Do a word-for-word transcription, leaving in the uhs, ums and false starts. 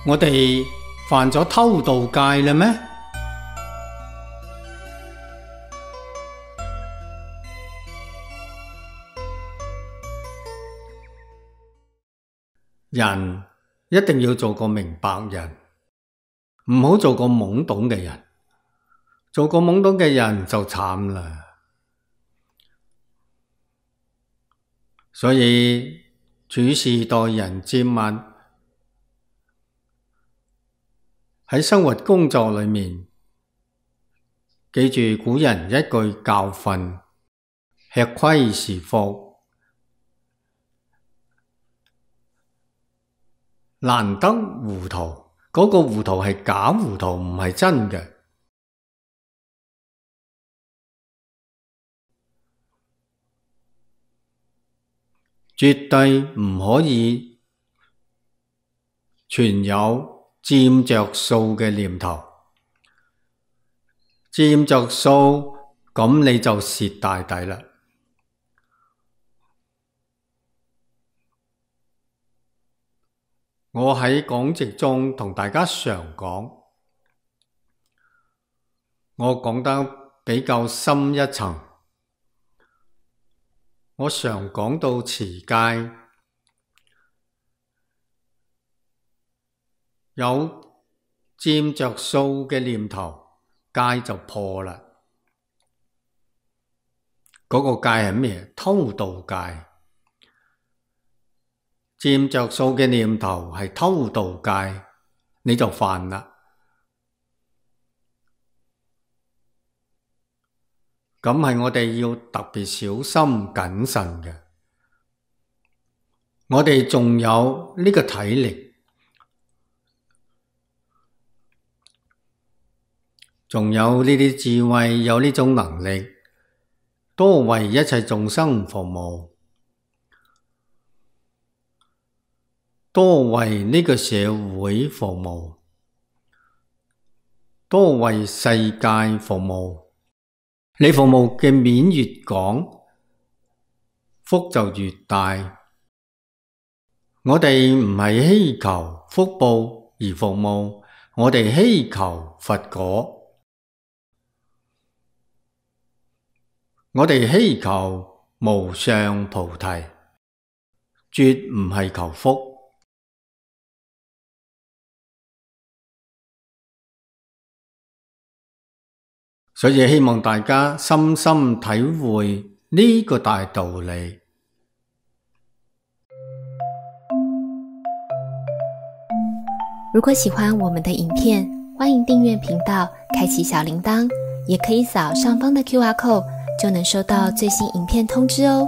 我哋犯咗偷盜戒啦咩？人一定要做個明白人，唔好做個懵懂嘅人。做個懵懂嘅人就慘啦。所以處事待人接物，喺生活工作裏面，記住古人一句教訓：吃虧是福，難得糊塗。嗰個糊塗係假糊塗，唔係真嘅。絕對唔可以存有佔着數嘅念頭，佔着數，咁你就蝕大底啦。我喺講席中同大家常講，我講得比較深一層。我常講到持戒，有佔着數嘅念頭，戒就破啦。嗰個戒係咩？偷盜戒。佔着數嘅念頭係偷盜戒，你就犯啦。咁係我哋要特別小心謹慎嘅。我哋仲有呢個體力，仲有呢啲智慧，有呢種能力，多為一切眾生服務，多為呢個社會服務，多為世界服務。你服務嘅面越廣，福就越大。我哋唔係希求福報而服務，我哋希求佛果。我哋希求無上菩提，絕唔係求福。所以希望大家深深體會呢個大道理。如果喜歡我們的影片，歡迎訂閱頻道，開啟小鈴鐺，也可以掃上方的 Q R code，就能收到最新影片通知哦。